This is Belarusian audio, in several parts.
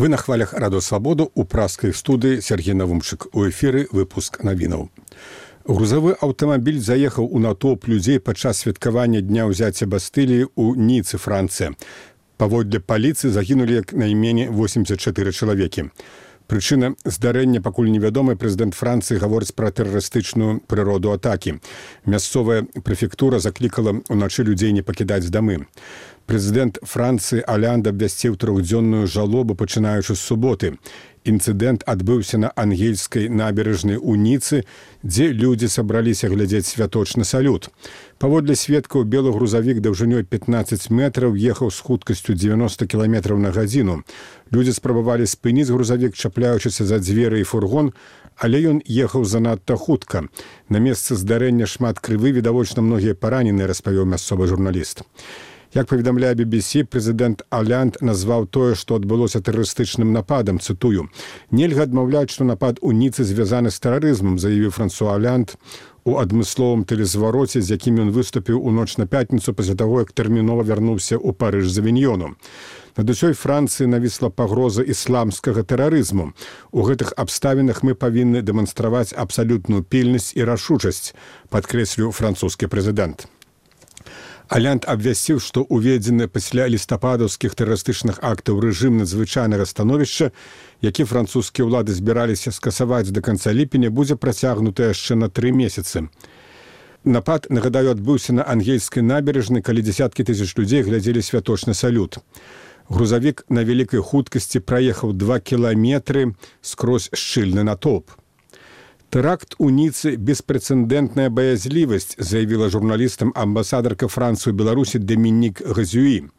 Вы на хвалях Радио Свободу у праскай студыі Сергей Навумчык. У эфіры выпуск навінаў. Грузавы аўтамабіль заехаў у натоўп людзей падчас святкавання дня ўзяцця Бастыліі ў Ніцы, Францыя. Паводле паліцыі загінулі як найменей 84 чалавекі. Прычына здарэння пакуль невядомая. Прэзідэнт Францыі гаворыць пра тэрарыстычную прыроду атакі. Мясцовая прэфектура заклікала ўначы людзей не пакідаць дамы. Прэзідэнт Францыі Олянд абвясціў трохдзённую жалобу, пачынаючы з суботы. Інцыдэнт адбыўся на ангельскай набярэжнай у Ніцы, дзе людзі сабраліся глядзець святочны салют. Паводле сведкаў, белы грузавік даўжынёй 15 метраў ехаў з хуткасцю 90 км на гадзіну. Людзі спрабавалі спыніць грузавік, чапляючыся за дзверы і фургон, але ён ехаў занадта хутка. На месцы здарэння шмат крыві, відавочна многія параненыя, распавёў мясцовы журналіст. Як паведамляе BBC, прэзідэнт Олянд назваў тое, што адбылося тэрарыстычным нападам, цытую. «Нельга адмаўляць, што напад у Ніцы звязаны з тэрарызмам», заявіў Франсуа Олянд у адмысловым тэлезвароце, з якім ён выступіў у ноч на пятніцу пасля таго, як тэрмінова вярнуўся ў Парыж з авіньёну. Над усёй Францыі навісла пагроза ісламскага тэрарызму. У гэтых абставінах мы павінны дэманстраваць абсалютную пільнасць і рашучасць, падкрэсліў французскі прэзідэнт. Олянд абвясціў, што уведзены пасля лістападаўскіх тэрарыстычных актаў рэжым надзвычайнага становішча, які французскія ўлады збіраліся скасаваць да канца ліпеня, будзе працягнуты яшчэ на 3 месяцы. Напад, нагадаю, адбыўся на ангельскай набярэжнай, калі дзесяткі тысяч людзей глядзелі святочны салют. Грузавік на вялікай хуткасці праехаў 2 кіламетры скрозь шчыльны натоўп. «Тэракт у Ніцы – беспрэцэдэнтная баязлівасць», заявіла журналістам амбасадарка Францыі ў Беларусі Доміник Газюі.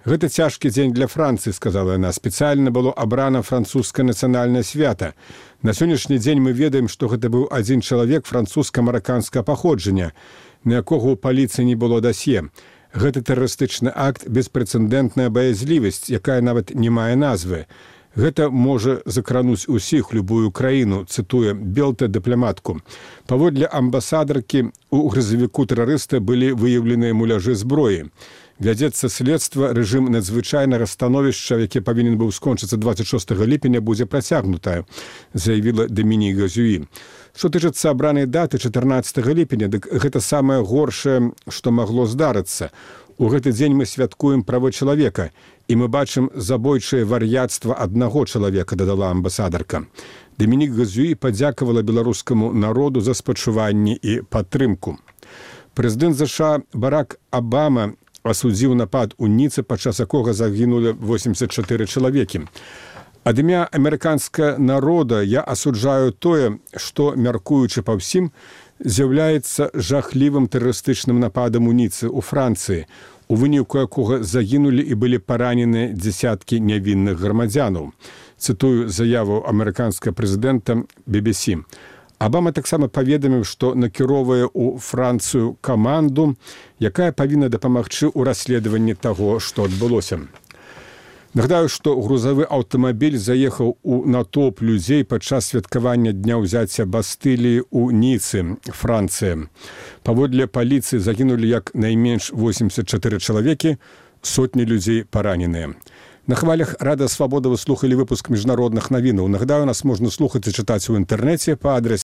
«Гэта цяжкі дзень для Францыі», сказала яна. «Спецыяльна было абрана французскае нацыянальнае свята. На сённяшні дзень мы ведаем, што гэта быў адзін чалавек французска-мараканскага паходжання, на якога ў паліцыі не было дасье. Гэта тэрарыстычны акт, беспрэцэдэнтная баязлівасць, якая нават не мае назвы. Гэта можа закрануць усіх, любую краіну», цытуе Белта дыпламатку. Паводле амбасадаркі, у грузавіку тэрарыста былі выяўленыя муляжы зброі. Вядзецца следства, рэжым надзвычайнага становішча, які павінен быў скончыцца 26 ліпеня, будзе працягнутая, заявіла Доміник Газюі. Што тычыцца абранай даты 14 ліпеня, дык гэта самае горшае, што магло здарыцца. У гэты дзень мы святкуем правы чалавека, і мы бачым забойчае вар'яцтва аднаго чалавека, дадала амбасадарка. Доміник Газюі падзякавала беларускаму народу за спачуванні і падтрымку. Прэзідэнт ЗША Барак Абама асудзіў напад у Ніцы, падчас якога загінулі 84 чалавекі. Ад імя амерыканскага народа я асуджаю тое, што, мяркуючы па ўсім, з'яўляецца жахлівым тэрарыстычным нападам у Ніцы, у Францыі, у выніку якога загінулі і былі параненыя дзесяткі нявінных грамадзянаў. Цытую заяву амерыканскага прэзідэнта BBC. Абама таксама паведаміў, што накіроўвае ў Францыю каманду, якая павінна дапамагчы ў расследаванні таго, што адбылося. Нагадаю, што грузавы аўтамабіль заехаў у натоўп людзей падчас святкавання дня ўзяцця Бастыліі ў Ніцы, Францыя. Паводле паліцыі загінулі як найменш 84 чалавекі, сотні людзей параненыя. На хвалях Радыё Свабода вы слухалі выпуск міжнародных навінаў. Нагадаю, нас можна слухаць і чытаць у інтэрнэце па адрасе